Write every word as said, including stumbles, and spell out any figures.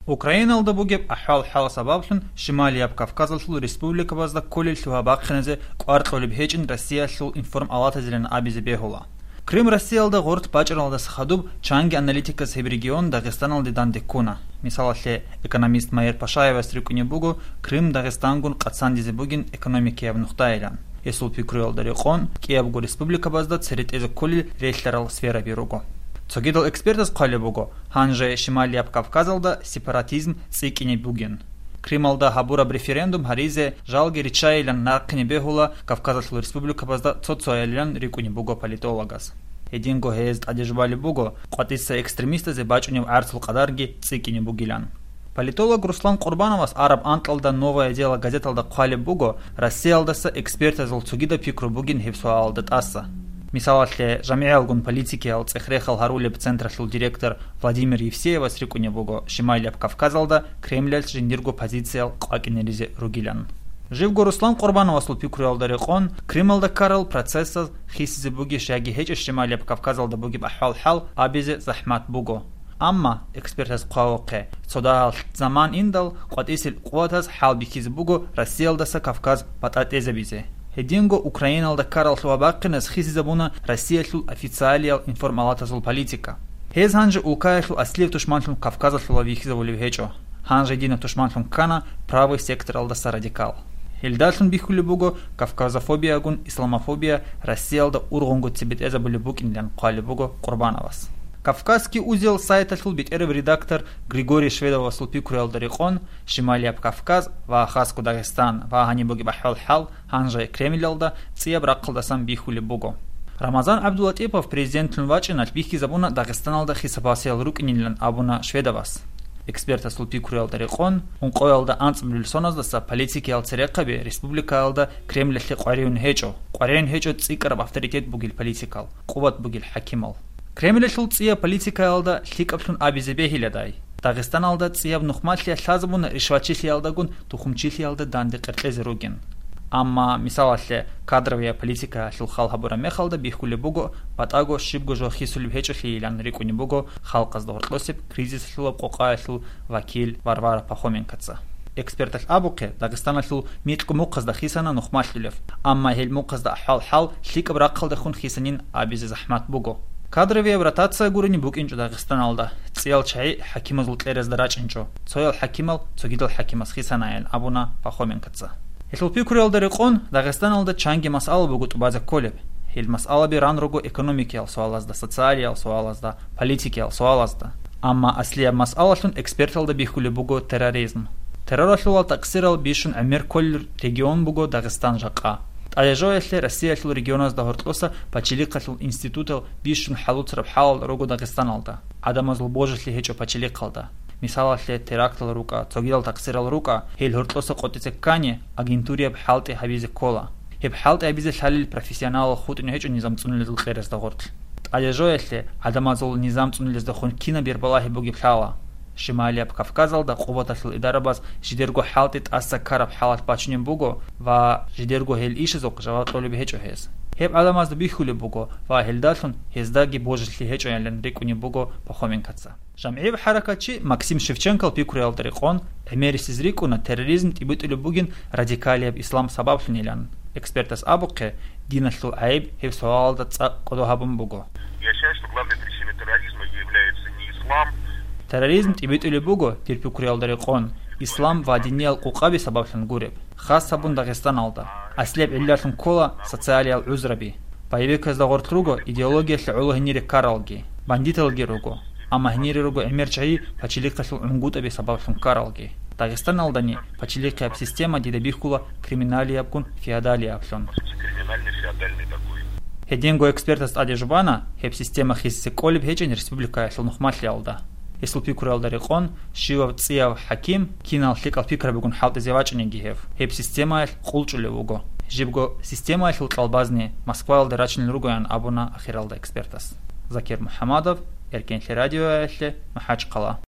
Украиналда бугеб ахӀвал-хӀал сабаблъун Шималияб Кавказалъул республикабазда кколел лъугьа-бахъиназе кӀвар кьолеб гьечӀин Россиялъул информалатазилан абизе бегьула. Крым Россиялда гъорт бачӀаралдаса хадуб чанги аналитикас гьеб регион Дагъистаналде данде ккуна. Мисалалъе, экономист Майер Пашаевас рикӀкӀунеб буго Крым Дагъистангун къацандизе бугин экономикияб нухдаялъ. Гьесул пикруялда рекъон, кӀиябго республикабазда цере тӀезе кколел релълъарал сфераби руго. Цогидал экспертаз хъвалеб буго, гьанже Шималияб Кавказалда сепаратизм цӀикӀкӀине бугин. Крималда гьабураб референдум гьаризе жалги риччайилан нахъине бегьула Кавказалъул республикабазда цо-цоялилан рикӀкӀунеб буго политологаз. Гьединго гьез тӀаде жубалеб буго, къватӀиса экстремистазе бачӀунеб гӀарцул къадарги цӀикӀкӀине бугилан. Политолог Руслан Къурбановас араб анкьалда «Новое дело» газеталда хъвалеб буго, Россиялдаса экспертазул цогидаб пикру бугин гьеб суалалда тӀаса. Мисалалъе, жамигӀалгун политикиял цӀех-рехал гьарулеб централъул директор Владимир Евсеевас рикӀкӀунеб буго Шималияб Кавказалда Кремлялъ жиндирго позициял къвакӀинаризе ругилан. Живго Руслан Къурбановасул пикруялда рекъон, Крималда ккарал процессаз хисизе бугищ яги гьечӀищ Шималияб Кавказалда бугеб ахӀвал-хӀал абизе захӀмат буго. Амма, экспертаз хъвавухъе, цо дагьал заман индал къватӀисел къуватаз хӀал бихьизе буго Россиялдаса Кавказ батӀа тӀезабизе. Гьединго Украиналда ккарал лъугьа-бахъиназ хисизабуна Россиялъул официалиял информалатазул политика. Гьез гьанже улкаялъул аслияб тушманлъун Кавказалъула вихьизабулеб гьечӀо. Гьанже динаб тушманлъун ккана правый секторалдаса радикал. Гьелдалъун бихьулеб буго кавказофобиягун исламофобия Россиялда ургъунгоци бетӀезабулеб букӀинилан хъвалеб буго Къурбановас. «Кавказский узел» сайталъул бетӀераб редактор Григорий Шведовасул пикруялда рекъон, Шималияб Кавказ ва хасго Дагъистан ва гьаниб бугеб ахӀвал-хӀал гьанже Кремлялда цӀияб рахъалдасан бихьулеб буго. Рамазан ГӀабдулатӀипов президентлъун вачӀиналъ бихьизабуна Дагъистаналда хисабасиял рукӀинилан абуна Шведовас. Экспертасул пикруялда рекъон, ункъоялда анцӀабилеб соназдаса политикиял церехъаби республикаялда Кремлалъе къваригӀун гьечӀо, къваригӀун гьечӀо цӀикӀкӀараб авторитет бугел политикал, къуват бугел хӀакимал. Кремлалъул цӀияб политикаялда лъикӀаблъун абизе бегьиладай, Дагъистаналда цӀияб нухмалъиялъ лъазабуна ришватчилъиялдагун тухумчилъиялда данде къеркьезе ругин. Амма, мисалалъе, кадровияб политикаялъул хал гьабураб мехалда бихьулеб буго, батӀаго щибго жо хисулеб гьечӀолъийилан рикӀкӀунеб буго халкъазда гьоркьосеб кризисалъулаб къокъаялъул вакил Варвара Пахоменкоца. Эксперталъ абухъе, Дагъистаналъул микьго мухъазда хисана нухмалъулев, амма гьел мухъазда ахӀвал-хӀал лъикӀаб рахъалдехун хисанин абизе захӀмат буго. Кадровияб ротация гурени букӀинчӀо Дагъистаналда, цӀиял чагӀи хӀакимазул кьерезда рачӀинчӀо, цоял хӀакимал цогидал хӀакимас хисанаян абуна Пахоменкоца. Гьелъул пикруялда рекъон, Дагъистаналда чанги масъала буго тӀубазе кколеб. Гьел масъалаби ран руго экономикиял суалазда, социалиял суалазда, политикиял суалазда. Амма аслияб масъалалъун эксперталда бихьулеб буго терроризм. Терроралъулал такъсирал бищун гӀемер кколел регион буго Дагъистан жакъа. ТӀадежоялъе Россиялъул регионазда гьоркьоса пачалихъалъул институтал бищун хӀалуцараб хӀалал руго Дагъистаналда, гӀадамазул божилъи гьечӀо пачалихъалда. Мисалалъе, терактал рукӀа, цогидал такъсирал рукӀа, гьел гьоркьоса къотӀизе ккани, агентурияб хӀалтӀи гьабизе ккола. Гьеб хӀалтӀи гьабизе лъалел профессионалал хутӀун гьечӀо низам цӀунулезул кьерезда гъоркь. ТӀадежоялъе гӀадамазул низам цӀунулездехун кинаб бербалагьи бугеб лъала. Шималияб Кавказалда къуваталъул идарабаз жидерго хӀалтӀи тӀаса ккараб хӀалалъ бачунеб буго ва жидерго гьел ишазухъ жаваб кьолеб гьечӀо гьез. Гьеб гӀадамазда бихьулеб буго ва гьелдалъун гьездаги божилъи гьечӀоялин рикӀкӀунеб буго Пахоменкоца. ЖамгӀияб хӀаракатчи Максим Шевченкол пикруялда рекъон, гӀемерисез рикӀкӀуна терроризм тӀибитӀулеб бугин радикалияб ислам сабаблъунилан. Экспертас абухъе, диналъул гӀайиб гьеб суалалда цӀакъ кӀодо гьабун буго. Я считаю, что главной причиной терроризма является не ислам. Терроризм тӀибитӀулеб буго, дир пикруялда рекъон, ислам ва диниял къукъаби сабаблъун гуреб, хас гьабун Дагъистаналда. Аслияб гӀиллалъун ккола социалиял гӀузраби. Боевиказда гъоркь руго идеологиялъе гӀоло гьенире ккаралги, бандиталги руго, амма гьенире руго гӀемер чагӀи пачалихъалъул гӀунгутӀаби сабаблъун ккаралги. Дагъистаналдани пачалихъияб система дида бихьула криминалиябгун феодалияблъун. Криминальный феодальный такой. Гьединго экспертас тӀаде жубана, гьеб система хисизе кӀолеб гьечӀин республикаялъул нухмалъиялда. Гьесул пикруялда рекъон, щивав цӀияв хӀаким кинал лъикӀал пикрабигун хӀалтӀизе вачӀинеги гьев, гьеб системаялъ къулчӀулев вуго. Жибго системаялъул кьалбазни Москваялда рачунел ругоян абуна ахиралда экспертас. Закир МухӀамадов, Эркенлъи радиоялъе, МахӀачхъала.